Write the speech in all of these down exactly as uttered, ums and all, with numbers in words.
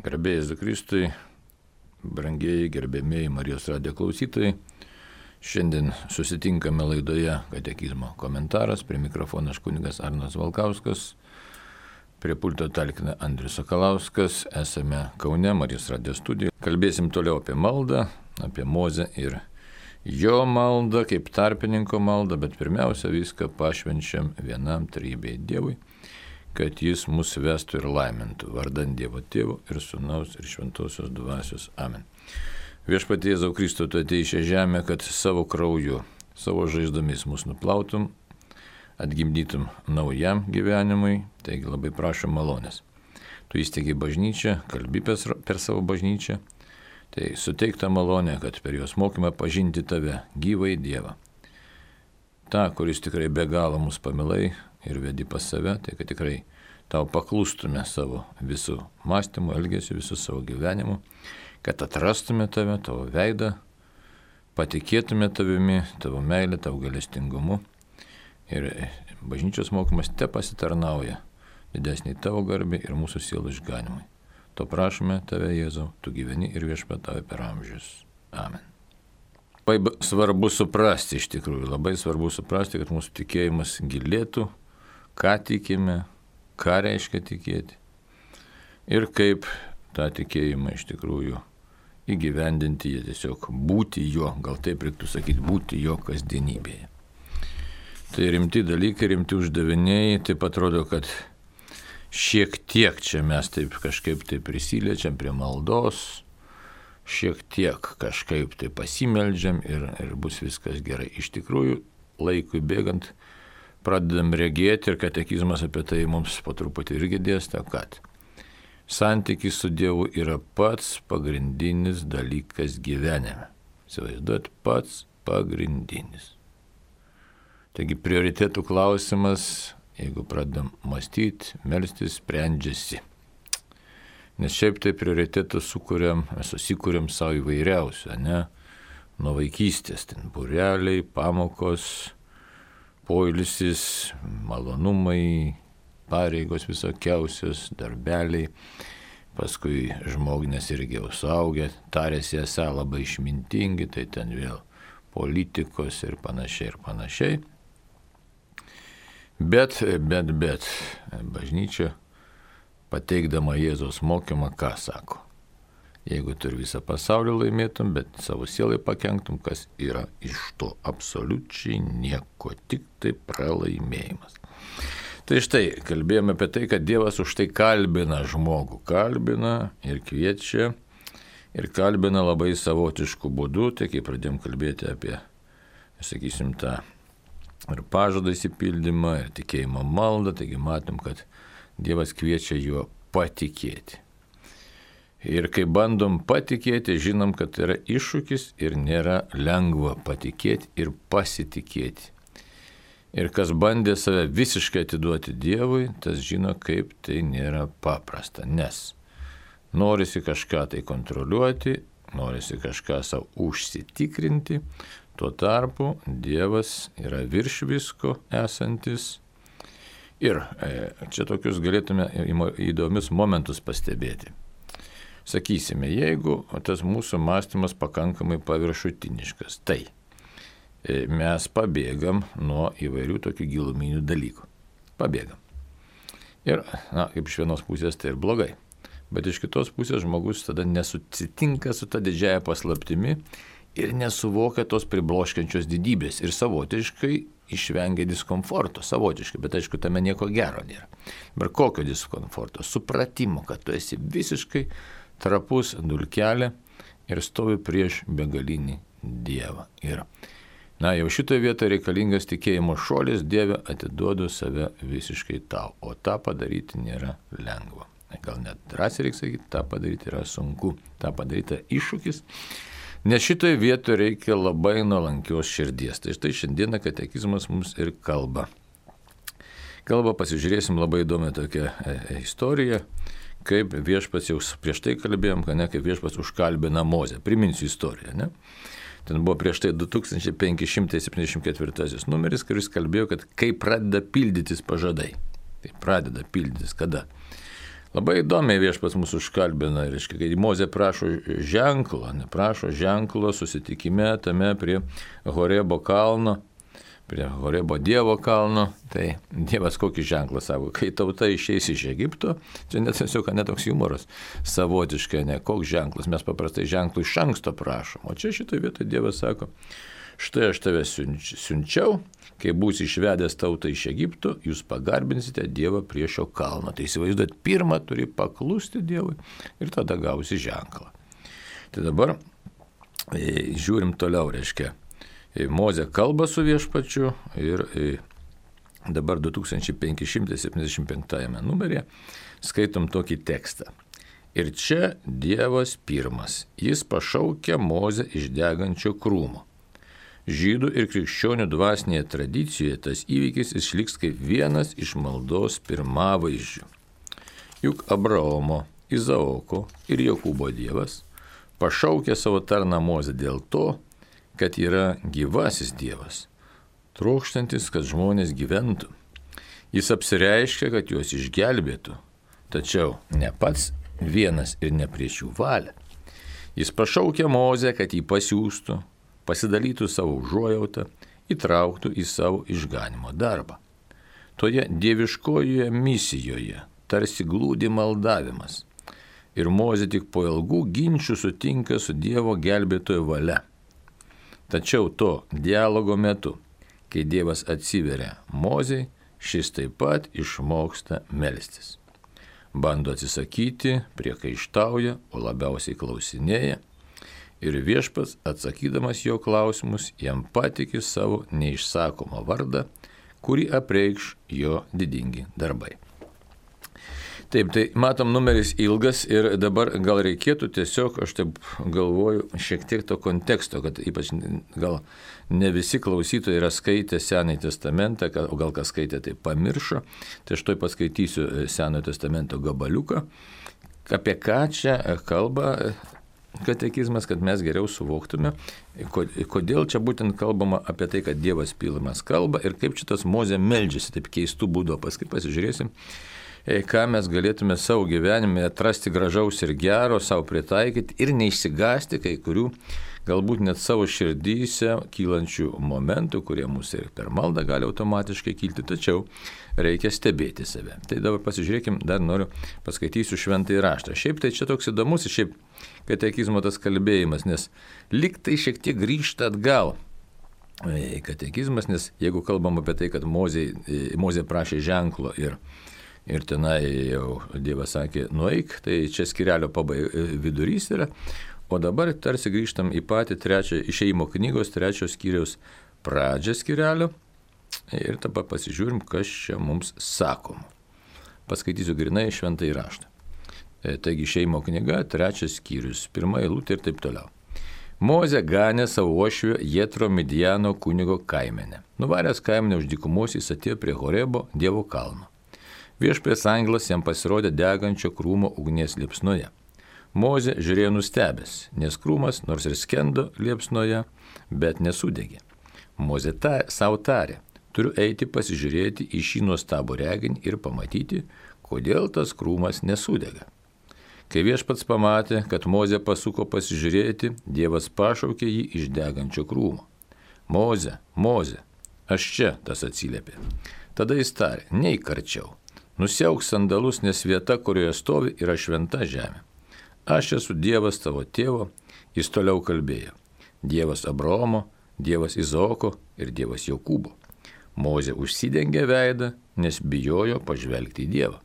Garbė Jėzui Kristui, brangieji, gerbėmieji Marijos radijo klausytojai. Šiandien susitinkame laidoje Katekizmo komentaras. Prie mikrofono aš kunigas Arnas Valkauskas, prie pulto talkina Andrius Sakalauskas. Esame Kaune, Marijos radijo studijoje. Kalbėsim toliau apie maldą, apie Mozę ir jo maldą, kaip tarpininko maldą, bet pirmiausia viską pašvenčiam vienam trejybei Dievui, kad jis mus vestų ir laimintų, vardan Dievo Tėvo ir Sūnaus ir Šventosios Dvasios. Amen. Viešpatie Jėzau Kristų, tu atėjai į šią žemę, kad savo krauju, savo žaizdomis mus nuplautum, atgimdytum naujam gyvenimui, taigi labai prašom malonės. Tu įsteigi bažnyčią, kalbi per savo bažnyčią, tai suteik tą malonę, kad per jos mokymą pažinti tave, gyvai Dievą. Ta, kuris tikrai be galo mus pamilai ir vedi pas save, tai kad tikrai tau paklustume savo visų mąstymų, elgesių, visų savo gyvenimų, kad atrastume tave, tavo veidą, patikėtume tavimi, tavo meilę, tavo gailestingumu ir bažnyčios mokymas te pasitarnauja didesnį tavo garbį ir mūsų sielų išganimui. To prašome tave, Jėzau, tu gyveni ir viešpatauji per amžius. Amen. Labai svarbu suprasti, iš tikrųjų, labai svarbu suprasti, kad mūsų tikėjimas gilėtų, ką tikime, ką reiškia tikėti ir kaip tą tikėjimą iš tikrųjų įgyvendinti, jie tiesiog būti jo, gal taip reiktų sakyti, būti jo kasdienybėje. Tai rimti dalykai, rimti uždaviniai, taip atrodo, kad šiek tiek čia mes taip kažkaip tai prisiliečiam prie maldos, šiek tiek kažkaip tai pasimeldžiam ir, ir bus viskas gerai. Iš tikrųjų, laikui bėgant pradedam regėti ir katekizmas apie tai mums po truputį irgi dėsto, kad santykis su Dievu yra pats pagrindinis dalykas gyvenime. Įsivaizduot, pats pagrindinis. Taigi prioritėtų klausimas, jeigu pradedam mąstyti, melstis, sprendžiasi. Nes šiaip tai prioritetus sukūrėm, susikūrėm savo įvairiausią, ne? Nuo vaikystės, ten būreliai, pamokos, poilsis, malonumai, pareigos visokiausios, darbeliai. Paskui žmognės irgi jau suaugę, tarėsi esą labai išmintingi, tai ten vėl politikos ir panašiai ir panašiai. Bet, bet, bet, bažnyčia pateikdama Jėzaus mokymą, ką sako? Jeigu tu ir visą pasaulį laimėtum, bet savo sielai pakenktum, kas yra iš to? Absoliučiai nieko, tik tai pralaimėjimas. Tai štai, kalbėjome apie tai, kad Dievas už tai kalbina žmogų, kalbina ir kviečia, ir kalbina labai savotiškų būdų, tai kai pradėjom kalbėti apie, sakysim, tą ir pažadą įsipildymą, ir tikėjimo maldą, taigi matom, kad Dievas kviečia juo patikėti. Ir kai bandom patikėti, žinom, kad tai yra iššūkis ir nėra lengva patikėti ir pasitikėti. Ir kas bandė save visiškai atiduoti Dievui, tas žino, kaip tai nėra paprasta. Nes norisi kažką tai kontroliuoti, norisi kažką savo užsitikrinti, tuo tarpu Dievas yra virš visko esantis. Ir čia tokius galėtume įdomius momentus pastebėti. Sakysime, jeigu tas mūsų mąstymas pakankamai paviršutiniškas, tai mes pabėgam nuo įvairių tokių giluminių dalykų. Pabėgam. Ir, na, kaip iš vienos pusės tai ir blogai. Bet iš kitos pusės žmogus tada nesusitinka su ta didžiaja paslaptimi ir nesuvokia tos pribloškiančios didybės ir savotiškai išvengia diskomforto, savotiškai, bet aišku, tame nieko gero nėra. Bet kokio diskomforto? Supratimo, kad tu esi visiškai trapus dulkelė ir stovi prieš begalinį Dievą. Ir, na, jau šitoje vietoje reikalingas tikėjimo šuolis, Dieve, atiduodu save visiškai tau, o tą padaryti nėra lengva. Gal net drąsiai reikia sakyti, tą padaryti yra sunku, tą padaryti iššūkis. Nes šitoje vietoje reikia labai nuolankios širdies. Tai štai šiandieną katekizmas mums ir kalba. Kalba, pasižiūrėsim labai įdomią tokią istoriją, kaip viešpats, jau prieš tai kalbėjom, kad ne, kaip viešpats užkalbina Mozę. Priminsiu istoriją, ne? Ten buvo prieš tai du tūkstančiai penki šimtai septyniasdešimt ketvirtasis numeris, kuris kalbėjo, kad kai pradeda pildytis pažadai. Tai pradeda pildytis kada? Labai įdomiai viešpats mūsų užkalbina, reiškia, kai Mozė prašo ženklo, neprašo ženklo susitikime tame prie Horebo kalno, prie Horebo Dievo kalno, tai Dievas kokį ženklą savo, kai tauta išeis iš Egipto, čia net tiesiog netoks humoras, savotiškai, ne, koks ženklas, mes paprastai ženklų iš anksto prašom, o čia šitoje vietoje Dievas sako, štai aš tave siunčiau, kai būsi išvedęs tautą iš Egipto, jūs pagarbinsite Dievą prie šio kalno. Tai įsivaizduot, pirmą turi paklusti Dievui ir tada gausi ženklą. Tai dabar e, žiūrim toliau, reiškia, e, Mozė kalba su viešpačiu ir e, dabar du tūkstančiai penki šimtai septyniasdešimt penktame numeryje skaitom tokį tekstą. Ir čia Dievas pirmas, jis pašaukia Mozę iš degančio krūmo. Žydų ir krikščionių dvasinėje tradicijoje tas įvykis išliks kaip vienas iš maldos pirmavaizdžių. Juk Abraomo, Izaoko ir Jokūbo Dievas pašaukė savo tarną Mozę dėl to, kad yra gyvasis Dievas, trokštantis, kad žmonės gyventų. Jis apsireiškia, kad juos išgelbėtų, tačiau ne pats vienas ir ne prieš jų valią. Jis pašaukė Mozę, kad jį pasiųstų, pasidalytų savo užuojautą, įtrauktų į savo išganimo darbą. Toje dieviškojoje misijoje tarsi glūdi maldavimas. Ir Mozė tik po ilgų ginčių sutinka su Dievo gelbėtojo valia. Tačiau to dialogo metu, kai Dievas atsiveria Mozei, šis taip pat išmoksta melstis. Bando atsisakyti, priekaištauja, o labiausiai klausinėja. Ir viešpats, atsakydamas jo klausimus, jam patikė savo neišsakomą vardą, kurį apreikš jo didingi darbai. Taip, tai matom, numeris ilgas ir dabar gal reikėtų tiesiog, aš taip galvoju, šiek tiek to konteksto, kad ypač gal ne visi klausytojai yra skaitę Senąjį testamentą, o gal kas skaitė, tai pamiršo, tai aš toj paskaitysiu Senojo testamento gabaliuką, apie ką čia kalba katekizmas, kad mes geriau suvoktume, kodėl čia būtent kalbama apie tai, kad Dievas pilnas kalba ir kaip šitas Mozė meldžiasi taip keistų būdų. Paskui pasižiūrėsim, ką mes galėtume savo gyvenime atrasti gražaus ir gero, savo pritaikyti ir neišsigąsti kai kurių, galbūt net savo širdyse kylančių momentų, kurie mūsų ir per maldą gali automatiškai kilti, tačiau reikia stebėti save. Tai dabar pasižiūrėkim, dar noriu paskaitysiu šventąjį raštą. Šiaip tai čia toks įdomus, šiaip katekizmo tas kalbėjimas, nes lyg tai šiek tiek grįžta atgal katekizmas, nes jeigu kalbam apie tai, kad Mozė, Mozė prašė ženklo ir, ir tenai jau Dievas sakė, nueik, tai čia skyrelio pabai vidurys yra, o dabar tarsi grįžtam į patį trečią išėjimo knygos trečios skyriaus pradžią skyrelio ir tada pasižiūrim, kas čia mums sakoma. Paskaitysiu grinai šventąjį raštą. Taigi išėjimo knyga, trečias skyrius, pirma eilutė ir taip toliau. Mozė ganė savo uošvio Jetro Midjano kunigo kaimenę. Nuvaręs kaimenę už dykumos jis atėjo prie Horebo Dievo kalno. Viešpaties angelas jam pasirodė degančio krūmo ugnies liepsnoje. Mozė žiūrėjo nustebęs, nes krūmas nors ir skendo liepsnoje, bet nesudegė. Mozė ta, savo tarė, turiu eiti pasižiūrėti į šį nuostabų reginį ir pamatyti, kodėl tas krūmas nesudega. Kai viešpats pamatė, kad Mozė pasuko pasižiūrėti, Dievas pašaukė jį iš degančio krūmo. Mozė, Mozė, aš čia, tas atsiliepė. Tada jis tarė, neik arčiau, nusiauk sandalus, nes vieta, kurioje stovi, yra šventa žemė. Aš esu Dievas tavo tėvo, jis toliau kalbėjo. Dievas Abraomo, Dievas Izaoko ir Dievas Jokūbo. Mozė užsidengė veidą, nes bijojo pažvelgti į Dievą.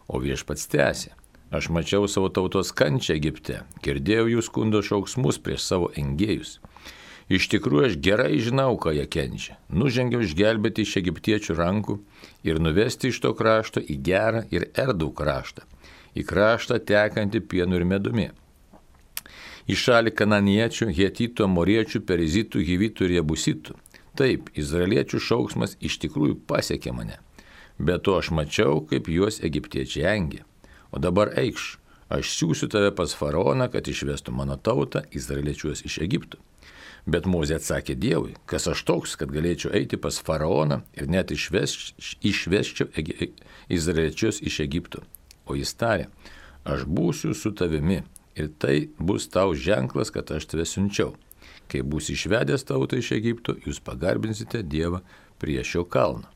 O viešpats tęsė. Aš mačiau savo tautos kančią Egipte, girdėjau jų skundo šauksmus prieš savo engėjus. Iš tikrųjų aš gerai žinau, ką jie kenčia. Nužengiau išgelbėti iš egiptiečių rankų ir nuvesti iš to krašto į gerą ir erdvų kraštą, į kraštą tekantį pienu ir medumi. Į šalį kananiečių, hetitų, amoriečių, perizitų, hivitų ir jebusitų. Taip, izraeliečių šauksmas iš tikrųjų pasiekė mane. Be to aš mačiau, kaip juos egiptiečiai engė. O dabar eikš, aš siūsiu tave pas faraoną, kad išvestų mano tautą, izraeliečius iš Egipto. Bet Mozė atsakė Dievui, kas aš toks, kad galėčiau eiti pas faraoną ir net išveš, išveščiau izraeliečius iš Egipto. O jis tarė, aš būsiu su tavimi ir tai bus tau ženklas, kad aš tave siunčiau. Kai bus išvedęs tautą iš Egipto, jūs pagarbinsite Dievą prie šio kalno.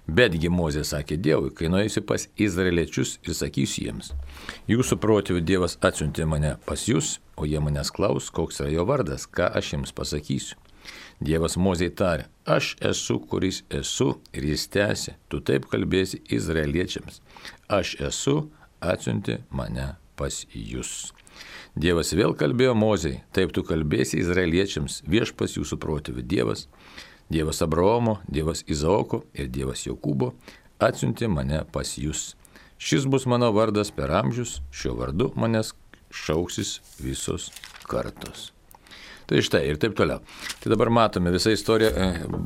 Betgi Mozė sakė Dievui, kai nueisiu pas izraeliečius ir sakysiu jiems, jūsų protėvių Dievas atsiuntė mane pas jūs, o jie manęs klaus, koks yra jo vardas, ką aš jiems pasakysiu. Dievas Mozei tarė, aš esu, kuris esu, ir jis tęsė, tu taip kalbėsi izraeliečiams. Aš esu, atsiuntė mane pas jūs. Dievas vėl kalbėjo Mozei, taip tu kalbėsi izraeliečiams, viešpats jūsų protėvių Dievas, Dievas Abraomo, Dievas Izaoko ir Dievas Jokūbo atsiuntė mane pas jūs. Šis bus mano vardas per amžius, šiuo vardu manęs šauksis visos kartos. Tai štai ir taip toliau. Tai dabar matome, visa istorija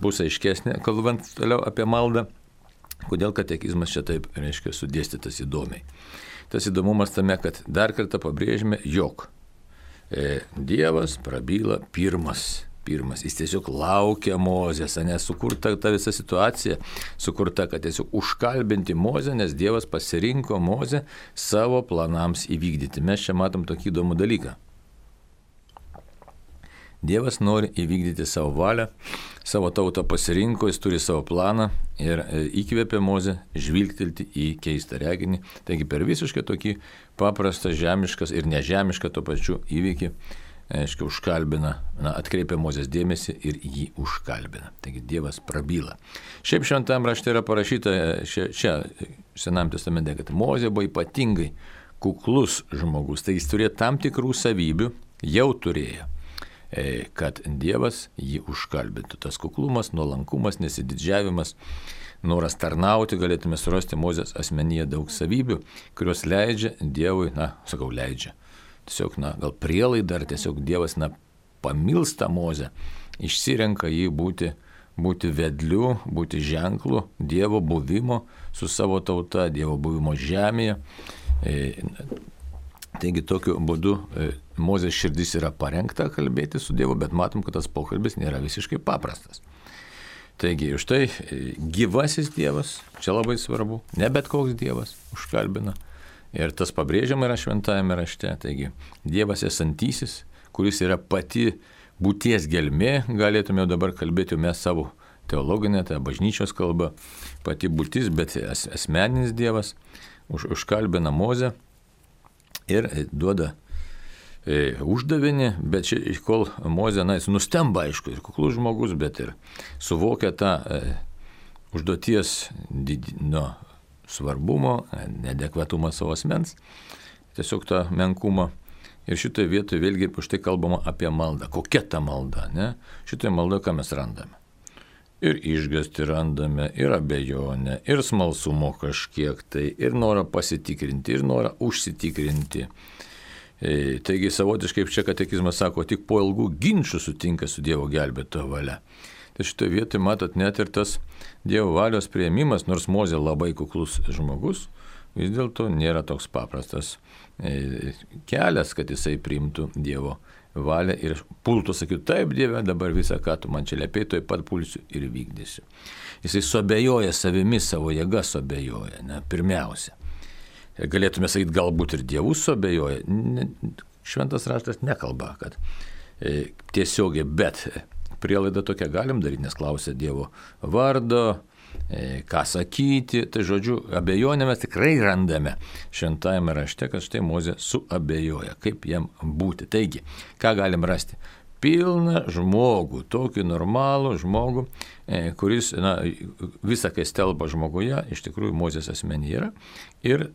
bus aiškesnė, kalbant toliau apie maldą, kodėl katekizmas čia taip, reiškia, sudėstytas įdomiai. Tas įdomumas tame, kad dar kartą pabrėžime, jog e, Dievas prabyla pirmas. Pirmas, jis tiesiog laukia Mozės, nes sukurta ta visa situacija, sukurta, kad tiesiog užkalbinti Mozę, nes Dievas pasirinko Mozę savo planams įvykdyti. Mes čia matom tokį įdomų dalyką. Dievas nori įvykdyti savo valią, savo tautą pasirinko, jis turi savo planą ir įkvėpė Mozę žvilgtelti į keistą reginį. Taigi per visiškai tokį paprastą, žemiškas ir nežemišką to pačiu įvykį, aiškiai, užkalbina, na, atkreipia Mozės dėmesį ir jį užkalbina. Taigi Dievas prabyla. Šiaip šventam rašte yra parašyta, čia, čia Senam testamente, kad Mozė buvo ypatingai kuklus žmogus. Tai jis turėjo tam tikrų savybių, jau turėjo, kad Dievas jį užkalbintų. Tas kuklumas, nuolankumas, nesididžiavimas, noras tarnauti, galėtume surasti Mozės asmenyje daug savybių, kurios leidžia Dievui, na, sakau, leidžia. Tiesiog, na, gal prielaida, ar tiesiog Dievas, na, pamilsta Mozę, išsirenka jį būti, būti vedliu, būti ženklu Dievo buvimo su savo tauta, Dievo buvimo žemėje. E, taigi tokiu būdu e, Mozės širdis yra parengta kalbėti su Dievu, bet matom, kad tas pokalbis nėra visiškai paprastas. Taigi, už tai e, gyvasis Dievas, čia labai svarbu, ne bet koks Dievas užkalbina. Ir tas pabrėžiama yra šventajame rašte. Taigi, Dievas esantysis, kuris yra pati būties gelmė, galėtume jau dabar kalbėti mes savo teologinę, tai bažnyčios kalbą, pati būtis, bet as, asmeninis Dievas už, užkalbina Mozę ir duoda e, uždavinį, bet ši, kol Mozė, na, jis nustemba, aišku, ir kuklus žmogus, bet ir suvokia tą e, užduoties did, no, svarbumo, neadekvatumą savo asmens, tiesiog tą menkumą. Ir šitoje vietoje vėlgi už tai kalbama apie maldą. Kokia ta malda, ne? Šitoje maldoje ką mes randame? Ir išgąstį randame, ir abejonę, ir smalsumo kažkiek tai, ir norą pasitikrinti, ir norą užsitikrinti. E, taigi savotiškai, kaip čia katekizmas sako, tik po ilgų ginčių sutinka su Dievo gelbėtojo valia. Tai šitoje vietoje matot net ir tas Dievo valios priėmimas, nors Mozė labai kuklus žmogus, vis dėlto nėra toks paprastas kelias, kad jisai priimtų Dievo valią ir pultų, sakytų, taip Dieve, dabar visą, ką tu man čia liepei, toj pat pulsiu ir vykdysiu. Jisai suabejoja savimi, savo jėga suabejoja, ne, pirmiausia. Galėtume sakyti, galbūt ir Dievus suabejoja. Šventas raštas nekalba, kad e, tiesiogiai, bet prielaidą tokią galim daryti, nes klausia Dievo vardo, e, ką sakyti. Tai žodžiu, abejonę mes tikrai randame šventajame rašte, kad štai Mozė suabejoja, kaip jam būti. Taigi, ką galim rasti? Pilną žmogų, tokį normalų žmogų, e, kuris, na, visą, kai stelba žmoguje, iš tikrųjų Mozės asmenyje yra ir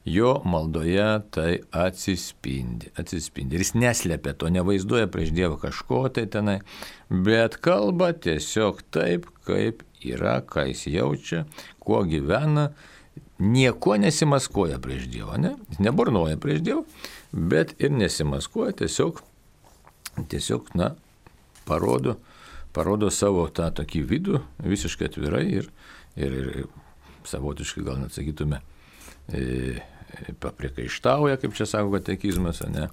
jo maldoje tai atsispindi, atsispindi. Ir jis neslepia to, nevaizduoja prieš Dievą kažko tai tenai, bet kalba tiesiog taip, kaip yra, ką jis jaučia, kuo gyvena, nieko nesimaskuoja prieš Dievą, ne? Jis neburnoja prieš Dievą, bet ir nesimaskuoja, tiesiog, tiesiog, na, parodo, parodo savo tą tokį vidų visiškai atvirai ir, ir, ir savotiškai gal net sakytume, E, papriekaištauja, kaip čia sako katekizmas, ne,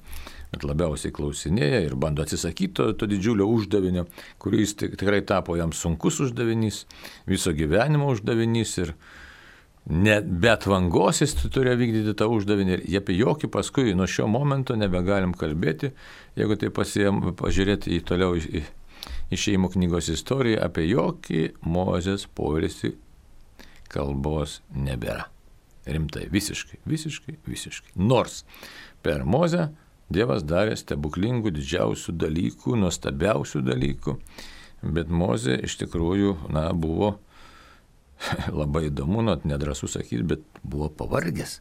bet labiausiai klausinėja ir bando atsisakyti to, to didžiulio uždavinio, kuris tikrai tapo jam sunkus uždavinys, viso gyvenimo uždavinys ir net be atvangos jis turėjo vykdyti tą uždavinį ir apie jokį paskui nuo šio momento nebegalim kalbėti, jeigu tai pasijam, pažiūrėti į toliau į išėjimo knygos istoriją, apie jokį Mozės poilsį kalbos nebėra. Rimtai, visiškai, visiškai, visiškai. Nors per Mozę Dievas darė stebuklingų, didžiausių dalykų, nuostabiausių dalykų, bet Mozė iš tikrųjų, na, buvo labai įdomu, nu, nedrąsu sakyti, bet buvo pavargęs.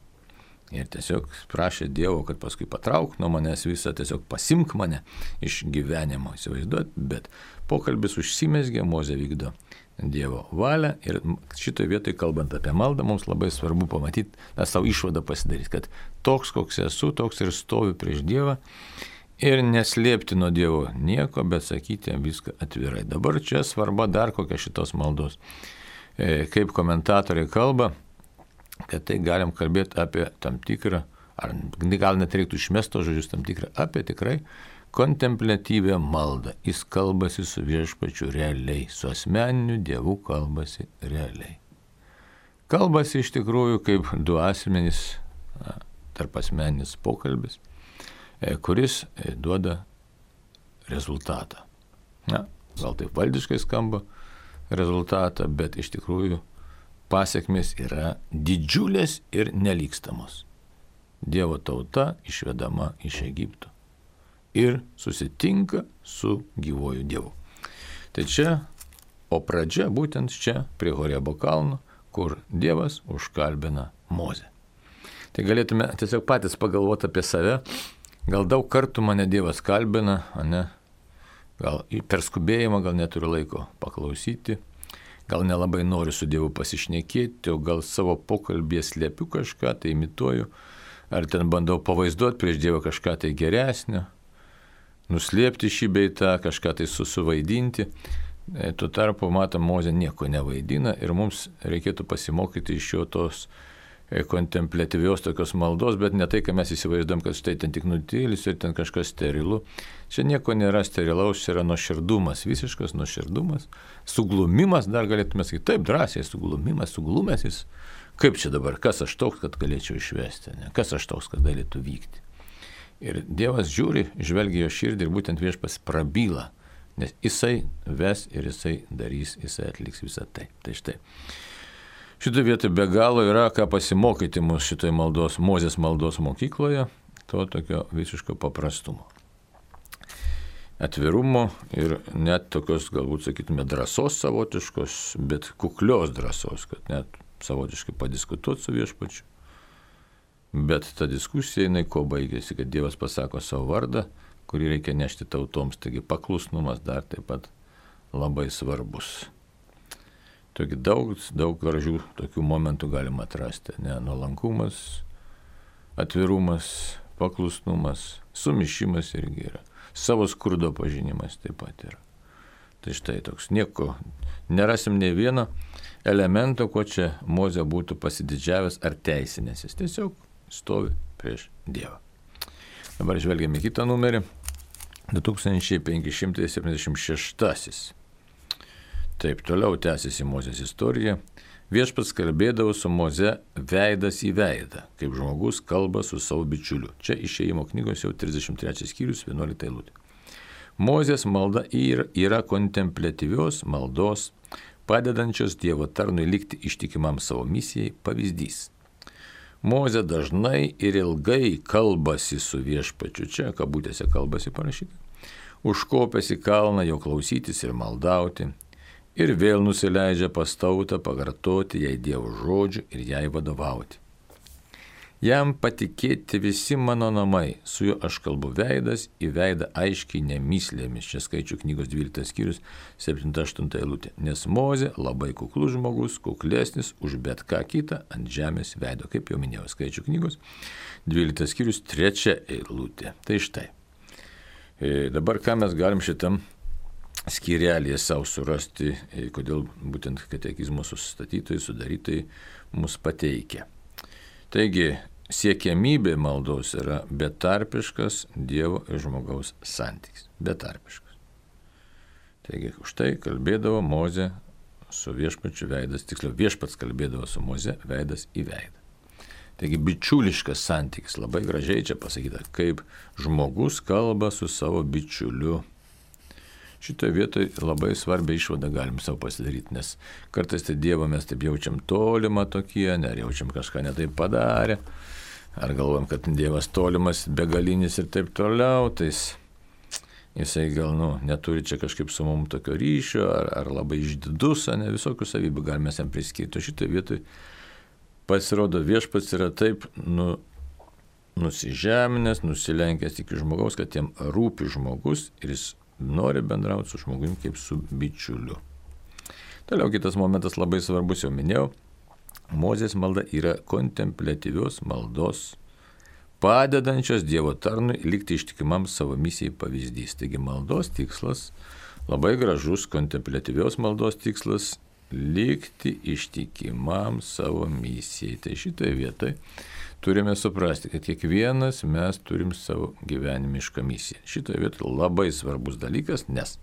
Ir tiesiog prašė Dievo, kad paskui patrauk nuo manęs visą, tiesiog pasimk mane iš gyvenimo, įsivaizduot, bet pokalbis užsimezgė, Mozė vykdo Dievo valią ir šitoje vietoje, kalbant apie maldą, mums labai svarbu pamatyti, na, savo išvadą pasidaryti, kad toks, koks esu, toks ir stoviu prieš Dievą ir neslėpti nuo Dievo nieko, bet sakyti jam viską atvirai. Dabar čia svarba dar kokia šitos maldos. E, kaip komentatoriai kalba, kad tai galim kalbėti apie tam tikrą, ar gal net reiktų išmesto žodžius, tam tikrą, apie tikrai kontempliatyvę maldą. Jis kalbasi su viešpačiu realiai, su asmeniniu Dievu kalbasi realiai. Kalbasi iš tikrųjų kaip du asmenys, tarp asmeninis pokalbis, kuris duoda rezultatą. Na, gal taip valdiškai skamba rezultatą, bet iš tikrųjų pasiekmės yra didžiulės ir nelygstamos. Dievo tauta išvedama iš Egipto ir susitinka su gyvuoju Dievu. Tai čia, o pradžia būtent čia, prie Horebo kalno, kur Dievas užkalbina Mozę. Tai galėtume tiesiog patys pagalvoti apie save, gal daug kartų mane Dievas kalbina, ne? Gal per skubėjimą, gal neturiu laiko paklausyti, gal nelabai noriu su Dievu pasišnekėti, o gal savo pokalbėje slėpiu kažką, tai imituoju, ar ten bandau pavaizduoti prieš Dievą kažką tai geresnio, nuslėpti šį beitą, kažką tai susuvaidinti. Tuo tarpu, matom, Mozė nieko nevaidina ir mums reikėtų pasimokyti iš jo tos kontempliatyvios tokios maldos, bet ne tai, kad mes įsivaizduom, kad štai ten tik nutylis ir ten kažkas sterilu. Čia nieko nėra sterilaus, čia yra nuoširdumas, visiškas nuoširdumas, suglumimas, dar galėtume sakyti, taip drąsiai, suglumimas, suglumęs jis. Kaip čia dabar, kas aš toks, kad galėčiau išvesti, ne? Kas aš toks, kad galėtų vykti. Ir Dievas žiūri, žvelgia jo širdį ir būtent viešpas prabyla, nes jisai ves ir jisai darys, jisai atliks visą tai. Tai štai. Šitoje vietoje be galo yra ką pasimokyti mūsų šitoje maldos, Mozės maldos mokykloje, to tokio visiško paprastumo. Atvirumo ir net tokios, galbūt sakytume, drąsos savotiškos, bet kuklios drąsos, kad net savotiškai padiskutuoti su viešpačiu. Bet ta diskusija, jinai ko baigėsi, kad Dievas pasako savo vardą, kurį reikia nešti tautoms, taigi paklusnumas dar taip pat labai svarbus. Toki daug, daug gražių tokių momentų galima atrasti, ne, nuolankumas, atvirumas, paklusnumas, sumišimas irgi yra, savo skurdo pažinimas taip pat yra. Tai štai toks, nieko, nerasim nei vieno elemento, ko čia Mozė būtų pasididžiavęs ar teisinęs, jis tiesiog stovi prieš Dievą. Dabar žvelgiame kitą numerį, du tūkstančiai penki šimtai septyniasdešimt šeštasis. Taip, toliau tęsiasi Mozės istorija. Viešpats kalbėdavo su Moze veidas į veidą, kaip žmogus kalba su savo bičiuliu. Čia išėjimo knygos jau trisdešimt trečias skyrius, vienuolikta eilutė. Mozės malda yra, yra kontempliatyvios maldos, padedančios Dievo tarnui likti ištikimam savo misijai pavyzdys. Mozė dažnai ir ilgai kalbasi su viešpačiu, čia kabutėse kalbasi parašyta, užkopęs į kalną jo klausytis ir maldauti, ir vėl nusileidžia pas tautą pakartoti jai Dievo žodžių ir jai vadovauti. Jam patikėti visi mano namai, su juo aš kalbu veidas į veidą aiškiai nemyslėmis, čia skaičių knygos dvyliktas skyrius, septinta aštunta eilutė, nes Mozė labai kuklus žmogus, kuklesnis už bet ką kitą ant žemės veido, kaip jau minėjau, skaičių knygos, dvyliktas skyrius, trečia eilutė. Tai štai. E, dabar ką mes galim šitam skyrelėje savo surasti, e, kodėl būtent katekizmo sustatytojai, sudarytojai mus pateikia. Taigi, siekiamybė maldos yra betarpiškas Dievo ir žmogaus santykis. Betarpiškas. Taigi, už tai kalbėdavo Mozė su viešpačiu veidas, tiksliau viešpats kalbėdavo su Moze veidas į veidą. Taigi bičiuliškas santykis, labai gražiai čia pasakyta, kaip žmogus kalba su savo bičiuliu. Šitoje vietoje labai svarbią išvadą galim savo pasidaryti, nes kartais tai Dievą mes taip jaučiam tolimą tokie, ar jaučiam kažką netaip padarę, ar galvojam, kad Dievas tolimas, begalinis ir taip toliau, tai jisai gal nu, neturi čia kažkaip su mum tokio ryšio, ar, ar labai išdidus, ne visokių savybių galime jam priskirti. O šitoje vietoje pasirodo viešpats yra taip nu, nusižeminęs, nusilenkęs iki žmogaus, kad jam rūpi žmogus ir jis nori bendrauti su žmogumi kaip su bičiuliu. Toliau kitas momentas labai svarbus, jau minėjau, Mozės malda yra kontempliatyvios maldos, padedančios Dievo tarnui likti ištikimam savo misijai pavyzdys. Taigi maldos tikslas, labai gražus kontempliatyvios maldos tikslas, likti ištikimam savo misijai. Tai šitoje vietoje turime suprasti, kad kiekvienas mes turim savo gyvenimišką misiją. Šitoje vietoje labai svarbus dalykas, nes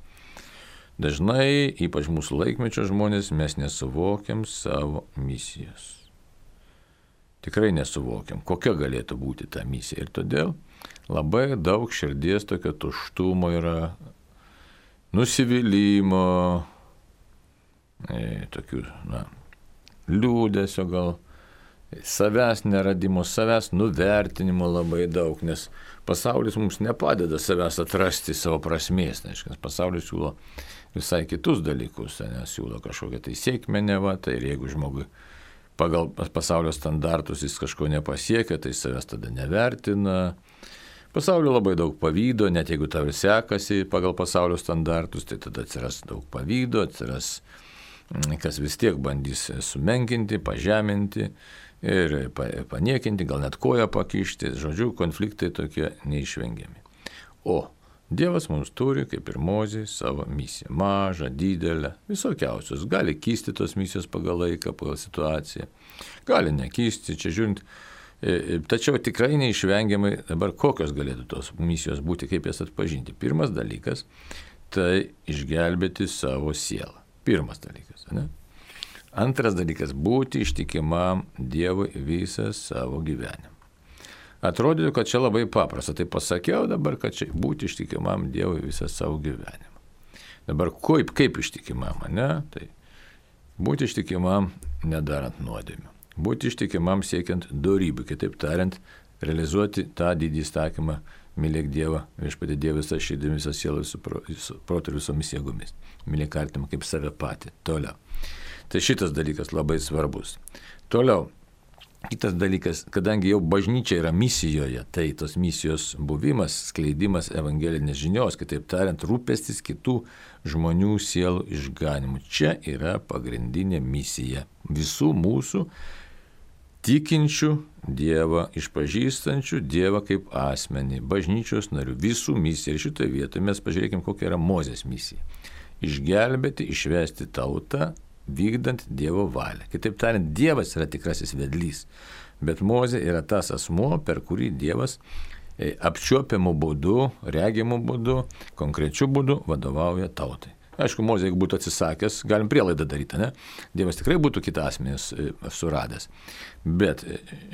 dažnai, ypač mūsų laikmečio žmonės, mes nesuvokiam savo misijos. Tikrai nesuvokiam, kokia galėtų būti ta misija. Ir todėl labai daug širdies tokio tuštumo yra, nusivylimų, e, tokių, na, liūdesio gal, savęs neradimo, savęs nuvertinimo labai daug, nes pasaulis mums nepadeda savęs atrasti savo prasmės, nes pasaulis siūlo visai kitus dalykus, nes siūlo kažkokią tai sėkmę neva, tai ir jeigu žmogui pagal pasaulio standartus jis kažko nepasiekia, tai savęs tada nevertina. Pasaulio labai daug pavydo, net jeigu tau ir sekasi pagal pasaulio standartus, tai tada atsiras daug pavydo, atsiras kas vis tiek bandys sumenkinti, pažeminti ir paniekinti, gal net koją pakišti. Žodžiu, konfliktai tokie neišvengiami. O Dievas mums turi, kaip ir Mozė, savo misiją. Mažą, didelę, visokiausios. Gali kisti tos misijos pagal laiką, pagal situaciją. Gali nekisti, čia žiūrint. Tačiau tikrai neišvengiamai dabar kokios galėtų tos misijos būti, kaip jas atpažinti. Pirmas dalykas – tai išgelbėti savo sielą. Pirmas dalykas, ne? Antras dalykas – būti ištikimam Dievui visą savo gyvenimą. Atrodytų, kad čia labai paprasta. Tai pasakiau dabar, kad čia būti ištikimam Dievui visą savo gyvenimą. Dabar kaip, kaip ištikimam, ne? Tai būti ištikimam nedarant nuodėmių. Būti ištikimam siekiant dorybių. Kitaip tariant, realizuoti tą didį įsakymą, mylėk Dievą, viešpatie Dievą visą širdimi, visą sielą, visų protu ir visomis jėgomis. Mylėk artimą kaip save patį. Toliau. Tai šitas dalykas labai svarbus. Toliau. Kitas dalykas, kadangi jau bažnyčia yra misijoje, tai tos misijos buvimas, skleidimas evangelinės žinios, kitaip tariant, rūpestis kitų žmonių sielų išganimu. Čia yra pagrindinė misija visų mūsų tikinčių Dievą, išpažįstančių Dievą kaip asmenį, bažnyčios narių, visų misija. Ir šitoje vietoje mes pažiūrėkime, kokia yra Mozės misija. Išgelbėti, išvesti tautą, vykdant Dievo valią. Kitaip tariant, Dievas yra tikrasis vedlys, bet Mozė yra tas asmuo, per kurį Dievas apčiuopiamų būdų, regimų būdų, konkrečių būdų vadovauja tautai. Aišku, Mozė, jeigu būtų atsisakęs, galim prielaidą daryti, ne? Dievas tikrai būtų kitą asmenį suradęs. Bet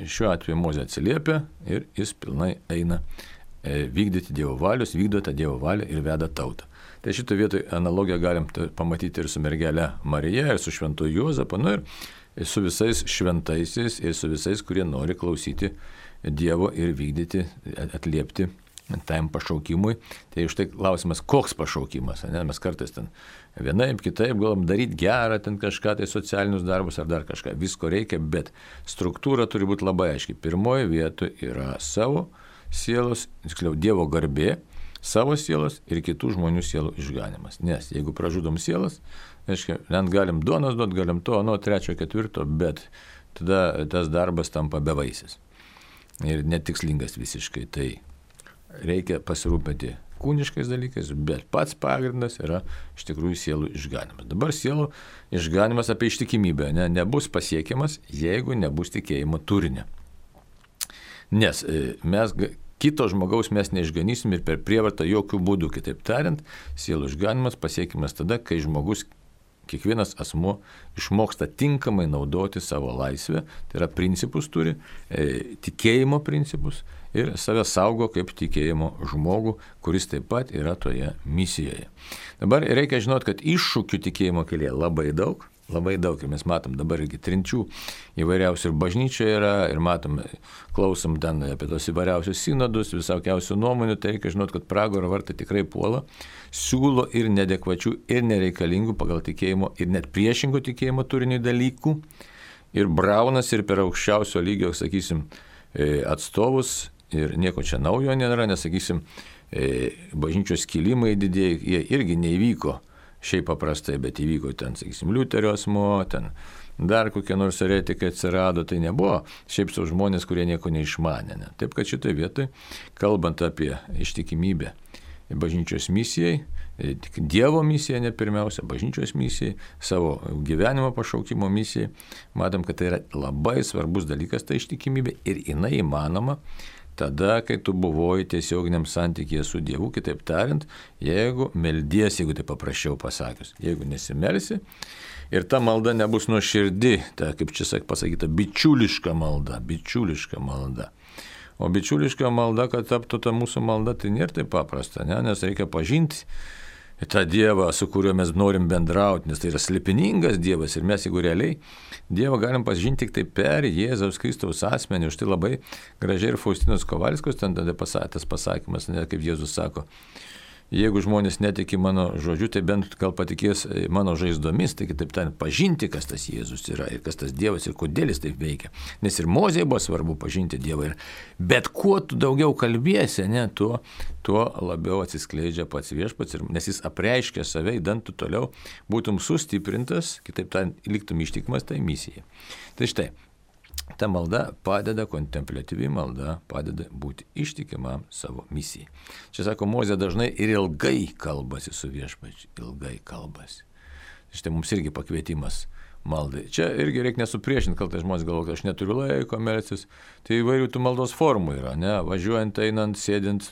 šiuo atveju Mozė atsiliepia ir jis pilnai eina vykdyti Dievo valios, vykdo tą Dievo valią ir veda tautą. Tai šito vietoje analogiją galim pamatyti ir su mergelė Marija, ir su šventu Juozapu, nu ir su visais šventaisiais, ir su visais, kurie nori klausyti Dievo ir vykdyti, atliepti tam pašaukimui. Tai už tai klausimas, koks pašaukimas, ne? Mes kartais ten vienaip, kitaip galim daryti gerą, ten kažką, tai socialinius darbus ar dar kažką. Visko reikia, bet struktūra turi būti labai aiški. Pirmoje vietoje yra savo sielos, tiksliau Dievo garbė, savo sielos ir kitų žmonių sielų išganimas. Nes jeigu pražudom sielas, reiškia, net galim duonos duot, galim to, nuo trečio, ketvirto, bet tada tas darbas tampa bevaisis. Ir netikslingas visiškai. Tai reikia pasirūpinti kūniškais dalykais, bet pats pagrindas yra iš tikrųjų sielų išganimas. Dabar sielų išganimas apie ištikimybę ne, nebus pasiekiamas, jeigu nebus tikėjimo turinio. Nes mes kito žmogaus mes neišganysim ir per prievartą jokių būdų. Kitaip tariant, sielų išganimas pasiekimas tada, kai žmogus kiekvienas asmuo išmoksta tinkamai naudoti savo laisvę, tai yra principus turi, e, tikėjimo principus ir save saugo kaip tikėjimo žmogų, kuris taip pat yra toje misijoje. Dabar reikia žinoti, kad iššūkių tikėjimo kelyje labai daug, labai daug ir mes matom dabar irgi trinčių įvairiausių ir bažnyčioje yra ir matom, klausom ten apie tos įvairiausius sinodus, visokiausių nuomonių, tai reikia žinoti, kad pragaro vartai tikrai puola, siūlo ir neadekvačių ir nereikalingų pagal tikėjimo ir net priešingų tikėjimo turinių dalykų ir braunas ir per aukščiausio lygio, sakysim, atstovus ir nieko čia naujo nėra, nes, sakysim, bažnyčios kilimai didėjai, jie irgi neįvyko šiaip paprastai, bet įvyko ten, sakysim, Liuterio asmuo, ten dar kokie nors eretikai atsirado, tai nebuvo šiaip sau žmonės, kurie nieko neišmanė. Ne? Taip, kad šitoje vietoje, kalbant apie ištikimybę bažnyčios misijai, Dievo misijai, ne pirmiausia, bažnyčios misijai, savo gyvenimo pašaukimo misijai, matom, kad tai yra labai svarbus dalykas, ta ištikimybė ir jinai įmanoma tada, kai tu buvoji tiesioginiam santykyje su Dievu, kitaip tariant, jeigu meldiesi, jeigu tai paprasčiau pasakius, jeigu nesimelsi ir ta malda nebus nuoširdi, ta, kaip čia pasakyta, bičiuliška malda, bičiuliška malda. O bičiuliška malda, kad taptų ta mūsų malda, tai nėra taip paprasta, ne? Nes reikia pažinti tą Dievą, su kuriuo mes norim bendrauti, nes tai yra slėpiningas Dievas ir mes, jeigu realiai Dievą galim pažinti tik tai per Jėzaus Kristaus asmenį. Už tai labai gražiai ir Faustinos Kovalskos ten tada pasakęs pasakymas, ne, kaip Jėzus sako, jeigu žmonės netiki mano žodžiu, tai bent gal patikės mano žaizdomis, tai kitaip tariant, pažinti, kas tas Jėzus yra ir kas tas Dievas ir kodėl jis taip veikia. Nes ir Mozei buvo svarbu pažinti Dievą. Ir bet kuo tu daugiau kalbėsi, ne, tuo, tuo labiau atsiskleidžia pats viešpats, ir, nes jis apreiškia save, įdant tu toliau būtum sustiprintas, kitaip tariant, liktum ištikimas tai misijai. Tai štai, ta malda padeda, kontempliatyvi malda padeda būti ištikimam savo misijai. Čia sako, Mozė dažnai ir ilgai kalbasi su viešpačiu, ilgai kalbasi. Štai mums irgi pakvietimas maldai. Čia irgi reikia nesupriešinti, kaltai žmonės galvoja, kad aš neturiu laiko melstis. Tai įvairių tų maldos formų yra, ne, važiuojant, einant, sėdint.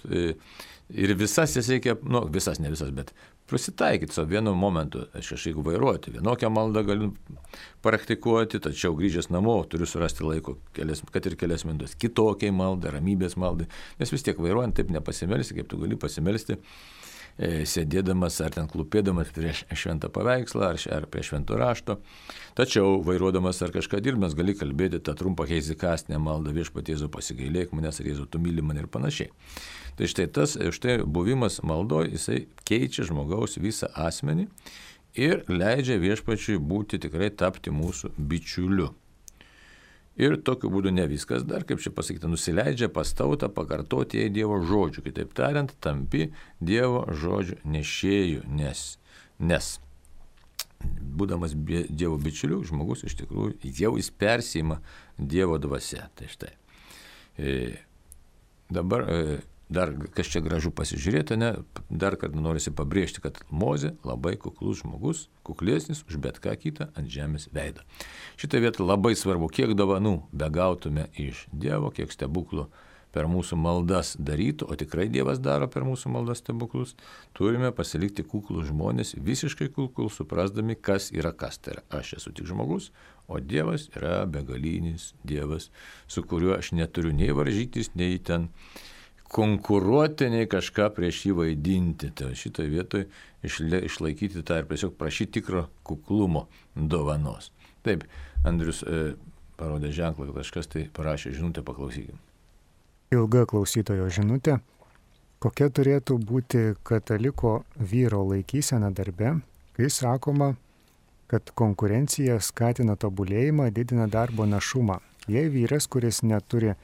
Ir visas jas reikia, nu, visas, ne visas, bet prisitaikyti savo vienu momentu. Aš kažkaip vairuoti, vienokią maldą galiu praktikuoti, tačiau grįžęs namo turiu surasti laiko, kelias, kad ir kelias minutės, kitokiai maldai, ramybės maldai, nes vis tiek vairuojant taip nepasimelsi, kaip tu gali pasimelsti, e, sėdėdamas ar ten klūpėdamas prieš šventą paveikslą, ar, ar prie švento rašto. Tačiau vairuodamas ar kažką dirbdamas gali kalbėti tą trumpą heizikastinę maldą, Viešpatie Jėzau pasigailėk manęs, ar Jėzau tu myli mane ir panašiai. Tai štai tas, štai buvimas maldoje, jisai keičia žmogaus visą asmenį ir leidžia Viešpačiui būti tikrai tapti mūsų bičiuliu. Ir tokiu būdu ne viskas dar, kaip čia pasakyta, nusileidžia pas tautą pakartoti jai Dievo žodžių. Kitaip tariant, tampi Dievo žodžių nešėjų, nes, nes būdamas Dievo bičiuliu, žmogus iš tikrųjų jau jis persima Dievo dvasia. Tai štai. E, dabar e, dar, kas čia gražu pasižiūrėti, ne, dar kartą norisi pabrėžti, kad Mozė labai kuklus žmogus, kuklesnis už bet ką kitą ant žemės veido. Šitą vietą labai svarbu, kiek dovanų begautume iš Dievo, kiek stebuklų per mūsų maldas darytų, o tikrai Dievas daro per mūsų maldas stebuklus, turime pasilikti kuklus žmonės, visiškai kuklus, suprasdami, kas yra kas. Tai yra, aš esu tik žmogus, o Dievas yra begalinis Dievas, su kuriuo aš neturiu nei varžytis, nei ten konkuruoti, nei kažką prieš jį vaidinti. Tai šitoje vietoje išlaikyti tą ir tiesiog prašyti tikro kuklumo dovanos. Taip, Andrius e, parodė ženklą, kad kažkas tai parašė žinutę, paklausykim. Ilga klausytojo žinutė. Kokia turėtų būti kataliko vyro laikysena darbe, kai sakoma, kad konkurencija skatina tobulėjimą, didina darbo našumą. Jei vyras, kuris neturi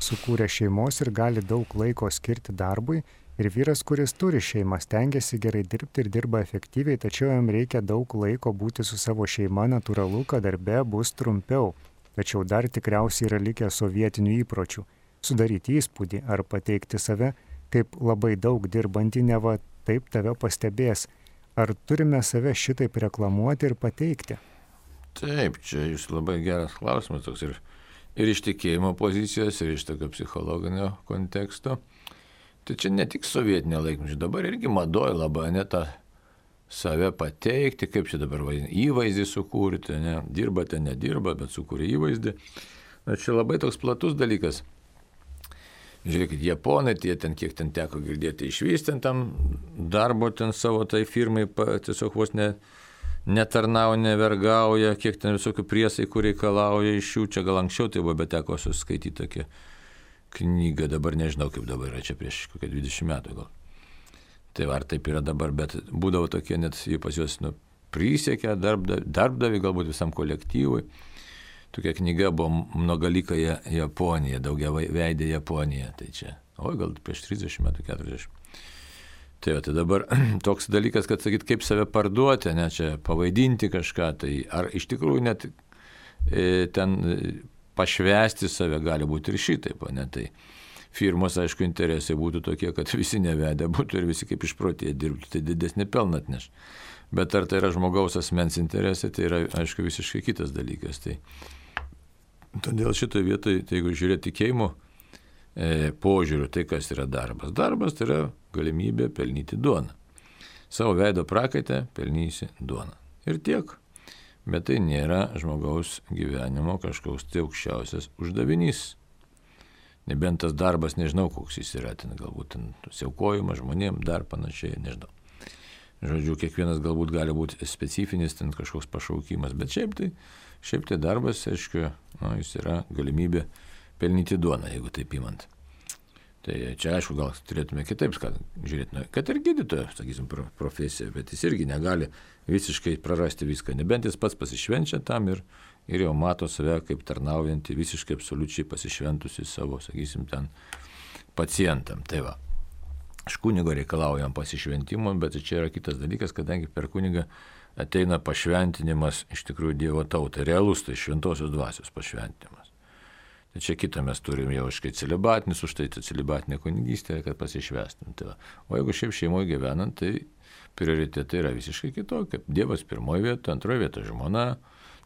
sukūrė šeimos ir gali daug laiko skirti darbui, ir vyras, kuris turi šeimą, stengiasi gerai dirbti ir dirba efektyviai, tačiau jam reikia daug laiko būti su savo šeima, natūralu, kad darbe bus trumpiau, tačiau dar tikriausiai yra likę sovietinių įpročių – sudaryti įspūdį ar pateikti save kaip labai daug dirbantį, neva taip tave pastebės. Ar turime save šitaip reklamuoti ir pateikti? Taip, čia jūs labai geras klausimas toks ir ir iš tikėjimo pozicijos, ir iš tokio psichologinio konteksto. Tai čia ne tik sovietinė laikmečio, dabar irgi madoja labai, ne ta save pateikti, kaip čia dabar vadinasi, įvaizdį sukurti, ne, dirbate, nedirba, bet sukūrė įvaizdį. Na, čia labai toks platus dalykas. Žiūrėkit, japonai, tie ten, kiek ten teko girdėti, išvystė tam darbo ten savo tai firmai, tiesiog vos ne, netarnauja, nevergauja, kiek ten visokių priesaikų reikalauja iš jų, čia gal anksčiau tai buvo, bet teko suskaityti tokią knygą, dabar nežinau kaip dabar yra, čia prieš kokią dvidešimt metų gal. Tai ar taip yra dabar, bet būdavo tokie, net jie pas juos nu, prisiekia darbdavi, darbdavi galbūt visam kolektyvui. Tokia knyga buvo Mnogalyka Japonija, daugia veidė Japonija, tai čia, oi gal prieš trisdešimt metų, keturiasdešimt. Tai, tai dabar toks dalykas, kad sakyt, kaip save parduoti, ne, čia pavaidinti kažką, tai ar iš tikrųjų net e, ten pašvesti save gali būti ir šitaip, ne, tai firmos, aišku, interesai būtų tokie, kad visi nevedę būtų ir visi kaip išprotėję dirbtų, tai didesnį pelną atneš. Bet ar tai yra žmogaus asmens interesai, tai yra, aišku, visiškai kitas dalykas. Tai todėl šitoje vietoje, tai jeigu žiūrėti tikėjimo e, požiūriu, tai kas yra darbas? Darbas tai yra galimybė pelnyti duoną. Savo veido prakaitę pelnysi duoną. Ir tiek. Bet tai nėra žmogaus gyvenimo kažkoks tai aukščiausias uždavinys. Nebent tas darbas, nežinau, koks jis yra, ten galbūt ten siaukojimas žmonėm, dar panašiai, nežinau. Žodžiu, kiekvienas galbūt gali būti specifinis, ten kažkoks pašaukimas, bet šiaip tai, šiaip tai darbas, aišku, nu, jis yra galimybė pelnyti duoną, jeigu taip įmant. Tai čia, aišku, gal turėtume kitaip žiūrėti, nu, kad ir gydytojo, sakysim, profesija, bet jis irgi negali visiškai prarasti viską, nebent jis pats pasišvenčia tam ir, ir jau mato save kaip tarnaujantį, visiškai absoliučiai pasišventusi savo, sakysim, ten pacientam. Tai va. Iš kunigo reikalaujam pasišventimo, bet čia yra kitas dalykas, kadangi per kunigą ateina pašventinimas iš tikrųjų Dievo tautai, realus tai šventosios dvasios pašventinimas. Tai čia kitą mes turim jau iškai celibatinis, už tai celibatinė kunigystė, kad pasišvestum. Tai o jeigu šiaip šeimoje gyvenant, tai prioritetai yra visiškai kitokie. Dievas pirmoje vietoje, antroje vietoje žmona,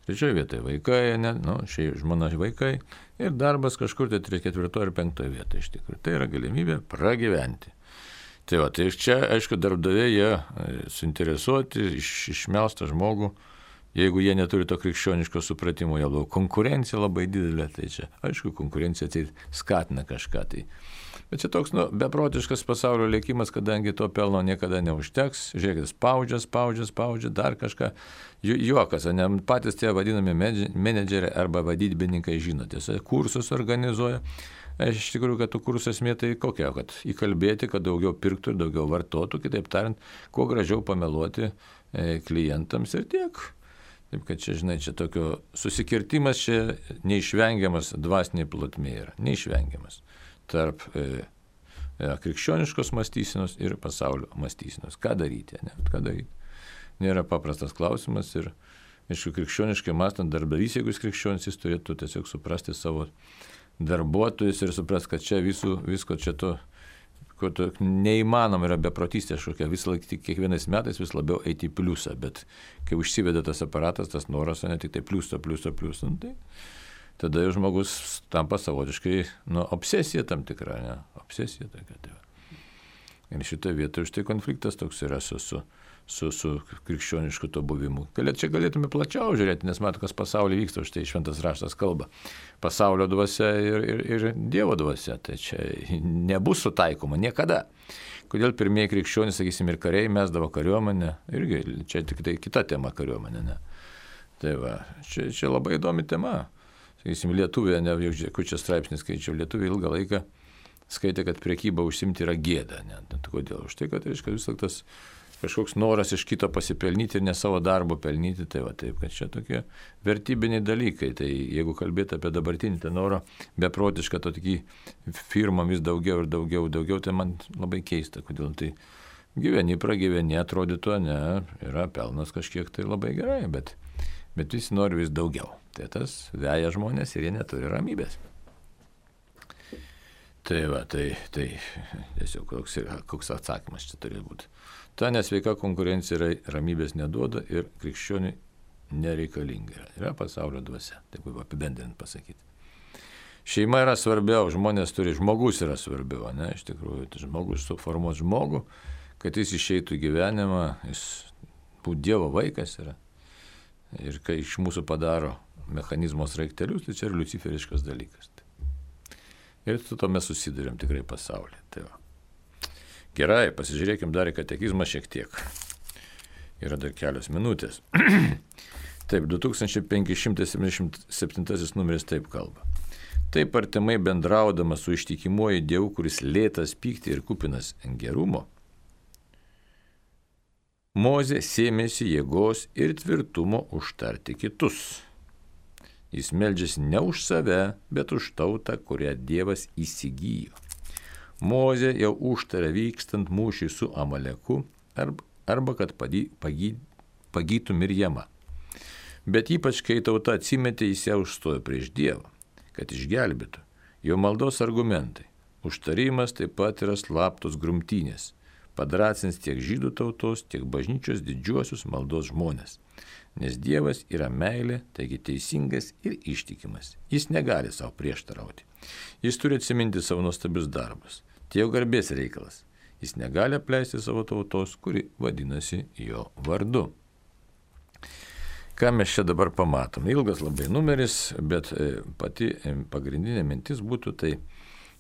trečioje vietoje vaikai, ne, nu, šiaip žmona vaikai ir darbas kažkur tai ketvirtoje ir penktoje vietoje iš tikrųjų. Tai yra galimybė pragyventi. Tai va, tai čia, aišku, darbdaviai jie suinteresuoti iš, išmelstą žmogų, jeigu jie neturi to krikščioniško supratimo, jau konkurencija labai didelė, tai čia, aišku, konkurencija tai skatina kažką. Tai. Bet čia toks, nu, beprotiškas pasaulio likimas, kadangi to pelno niekada neužteks, žiūrėkit, spaudžia, spaudžia, spaudžia, dar kažką, Ju, juokas, ne, patys tie vadinami menedžeriai arba vadybininkai žino, tiesa, kursus organizuoja. Aš iš tikrųjų, kad tų kursų esmė tai kokia, kad įkalbėti, kad daugiau pirktų ir daugiau vartotų, kitaip tariant, kuo gražiau pameluoti e, klientams ir tiek. Taip, kad čia, žinai, čia tokio susikirtimas čia neišvengiamas dvasiniai plotmė yra, neišvengiamas tarp e, e, krikščioniškos mąstysenos ir pasaulio mąstysenos. Ką daryti, ne? Ką daryti? Nėra paprastas klausimas ir, aišku, krikščioniškai mąstant darbdavys, jeigu jis krikščionis, jis turėtų tiesiog suprasti savo darbuotojus ir supras, kad čia visų, visko čia to, ko to neįmanoma yra beprotystė kažkokia, vis laik, kiekvienais metais vis labiau eiti į pliusą, bet kai užsiveda tas aparatas, tas noras, ne tik tai pliusą, pliusą, pliusą, tai tada jau žmogus tampa savotiškai, nu, obsesija tam tikra, ne, obsesija tokia. Tai. Ir šitoje vietoje štai konfliktas toks yra su, su, su, su krikščionišku to buvimu. Galėt, čia galėtume plačiau žiūrėti, nes mato, kas pasaulyje vyksta, štai šventas raštas kalba. Pasaulio dvasia ir, ir, ir Dievo dvasia, tai čia nebus sutaikoma niekada. Kodėl pirmieji krikščionys, sakysim, ir kariai mesdavo kariuomenę, irgi čia tik tai kita tema kariuomenė, ne. Tai va, čia, čia labai įdomi tema. Sakysim, Lietuvė, ne, jau žiūrėk, čia straipsnis skaičiau, Lietuvė ilgą laiką skaitė, kad prekyba užsimti yra gėda. Ne? Kodėl? Už tai, kad reiškia vis tas kažkoks noras iš kito pasipelnyti ir ne savo darbo pelnyti, tai va taip, kad čia tokie vertybiniai dalykai. Tai jeigu kalbėti apie dabartinį tą norą beprotišką, to tokį firmą vis daugiau ir daugiau, daugiau, tai man labai keista, kodėl tai gyveni, pragyveni, atrodytų, ne, yra pelnas kažkiek tai labai gerai, bet, bet visi nori vis daugiau. Tai tas veja žmonės ir jie neturi ramybės. Tai va, tai, tai tiesiog koks, koks atsakymas čia turi būti. Ta nesveika konkurencija yra, ramybės neduoda ir krikščioniui nereikalinga yra. Yra pasaulio dvasia, taip kaip apibendrinant pasakyti. Šeima yra svarbiau, žmonės turi, žmogus yra svarbiau, ne, iš tikrųjų, tai žmogus suformuos žmogų, kad jis išeitų į gyvenimą, jis būti Dievo vaikas yra. Ir kai iš mūsų padaro mechanizmo sraigtelius, tai čia yra luciferiškas dalykas. Ir su to mes susidurėm tikrai pasaulyje. Tai va. Gerai, pasižiūrėkim dar į katekizmą šiek tiek. Yra dar kelios minutės. Taip, du tūkstančiai penki šimtai septyniasdešimt septintasis numeris taip kalba. Taip artimai bendraudamas su ištikimuoju Dievu, kuris lėtas pykti ir kupinas gerumo, Mozė sėmėsi jėgos ir tvirtumo užtarti kitus. Jis meldžiasi ne už save, bet už tautą, kurią Dievas įsigijo. Mozė jau užtarė vykstant mūšį su Amaleku arba, arba kad pagy, pagy, pagytų Mirjamą. Bet ypač, kai tauta atsimetė, jis ją užstojo prieš Dievą, kad išgelbėtų. Jo maldos argumentai. Užtarimas taip pat yra slaptos grumtynės. Padrasins tiek žydų tautos, tiek bažnyčios didžiuosius maldos žmonės. Nes Dievas yra meilė, taigi teisingas ir ištikimas. Jis negali savo prieštarauti. Jis turi atsiminti savo nuostabius darbus. Tai jo garbės reikalas. Jis negali apleisti savo tautos, kuri vadinasi jo vardu. Ką mes čia dabar pamatom? Ilgas labai numeris, bet pati pagrindinė mintis būtų tai,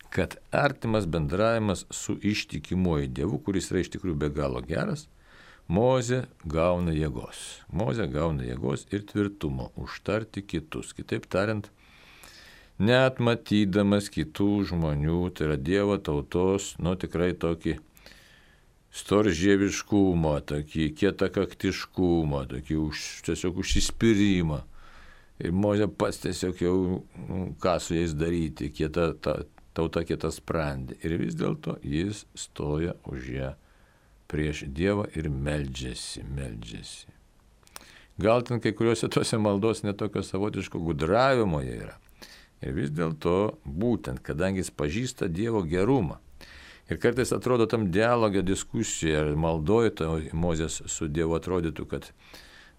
kad artimas bendravimas su ištikimuoju Dievu, kuris yra iš tikrųjų be galo geras, Mozė gauna jėgos. Mozė gauna jėgos ir tvirtumo užtarti kitus. Kitaip tariant, net matydamas kitų žmonių, tai yra Dievo tautos, nu tikrai tokį storžieviškumą, tokį kietakaktiškumą, tokį už, tiesiog užsispyrimą. Ir Mozė pats tiesiog jau, ką su jais daryti, kieta, ta, tauta kieta sprendė. Ir vis dėlto jis stoja už ją prieš Dievą ir meldžiasi, meldžiasi. Gal ten kai kuriuose tuose maldos netokio savotiško gudravimo jie yra. Ir vis dėlto būtent, kadangi jis pažįsta Dievo gerumą. Ir kartais atrodo tam dialogio diskusijoje ar maldoje to Mozės su Dievu atrodytų, kad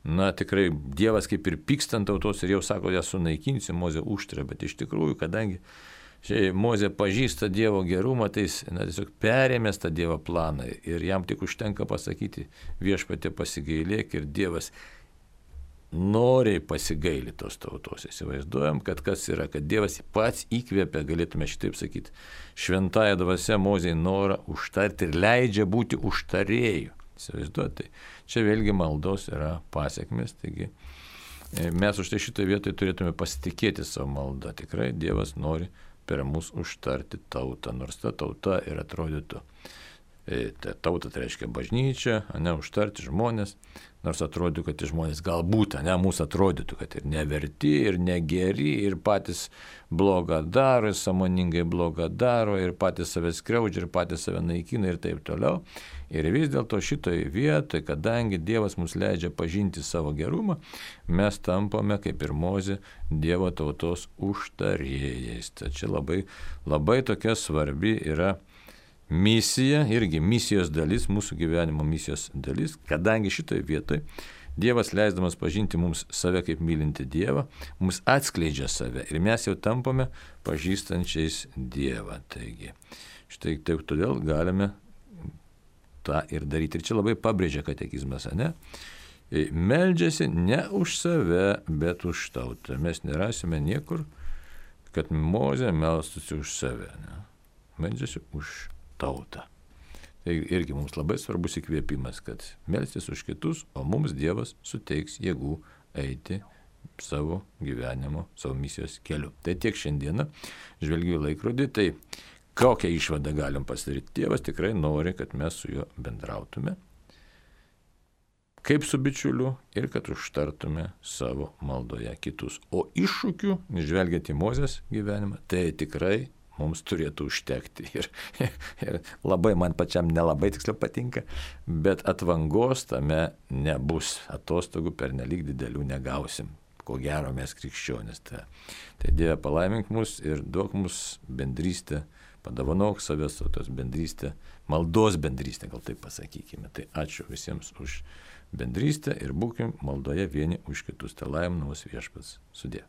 na tikrai Dievas kaip ir pyksta ant tautos ir jau sako, ją sunaikinsi, Mozė užtarė, bet iš tikrųjų, kadangi šiai Mozė pažįsta Dievo gerumą, tai jis na, tiesiog perėmės tą Dievo planą ir jam tik užtenka pasakyti viešpatie pasigailėk ir Dievas noriai pasigaili tos tautos. Įsivaizduojam, kad kas yra, kad Dievas pats įkvėpia, galėtume šitaip sakyti, šventąją dvasia Mozei norą užtarti ir leidžia būti užtarėjų. Įsivaizduojate, čia vėlgi maldos yra pasiekmes, taigi mes už tai šitoje vietoje turėtume pasitikėti savo maldą. Tikrai Dievas nori per mus užtarti tautą, nors ta tauta ir atrodytų, ta tauta tai reiškia bažnyčia, ne užtarti žmonės, nors atrodytų, kad žmonės galbūt, ne mūsų atrodytų, kad ir neverti, ir negeri, ir patys blogą daro, ir sąmoningai blogą daro, ir patys save skriaudžia, ir patys save naikina ir taip toliau. Ir vis dėlto šitoje vietoje, kadangi Dievas mums leidžia pažinti savo gerumą, mes tampame, kaip ir Mozė, Dievo tautos užtarėjais. Tai čia labai, labai tokia svarbi yra misija, irgi misijos dalis, mūsų gyvenimo misijos dalis, kadangi šitoje vietoje Dievas leisdamas pažinti mums save kaip mylinti Dievą, mums atskleidžia save ir mes jau tampame pažįstančiais Dievą. Taigi, štai taip todėl galime tą ir daryti. Ir čia labai pabrėžia katekizmas, ne? Meldžiasi ne už save, bet už tautą. Mes nerasime niekur, kad Mozė melstųsi už save. Ne? Meldžiasi už tautą. Tai irgi mums labai svarbus įkvėpimas, kad melstis už kitus, o mums Dievas suteiks jėgų eiti savo gyvenimo, savo misijos keliu. Tai tiek šiandieną žvelgiu į laikrodį, tai kokią išvadą galim pasidaryti? Dievas tikrai nori, kad mes su juo bendrautume, kaip su bičiuliu ir kad užtartume savo maldoje kitus. O iššūkių, žvelgiant į Mozės gyvenimą, tai tikrai mums turėtų užtekti. Ir, ir labai man pačiam nelabai tiksliau patinka, bet atvangos tame nebus. Atostogų pernelyg didelių negausim. Ko gero mes krikščionys. Tai, tai Dieve palaimink mus ir duok mus bendrystę, padovanok savęs tos bendrystę, maldos bendrystę, gal taip pasakykime. Tai ačiū visiems už bendrystę ir būkim maldoje vieni už kitus. Tai laimina mus viešpats. Sudie.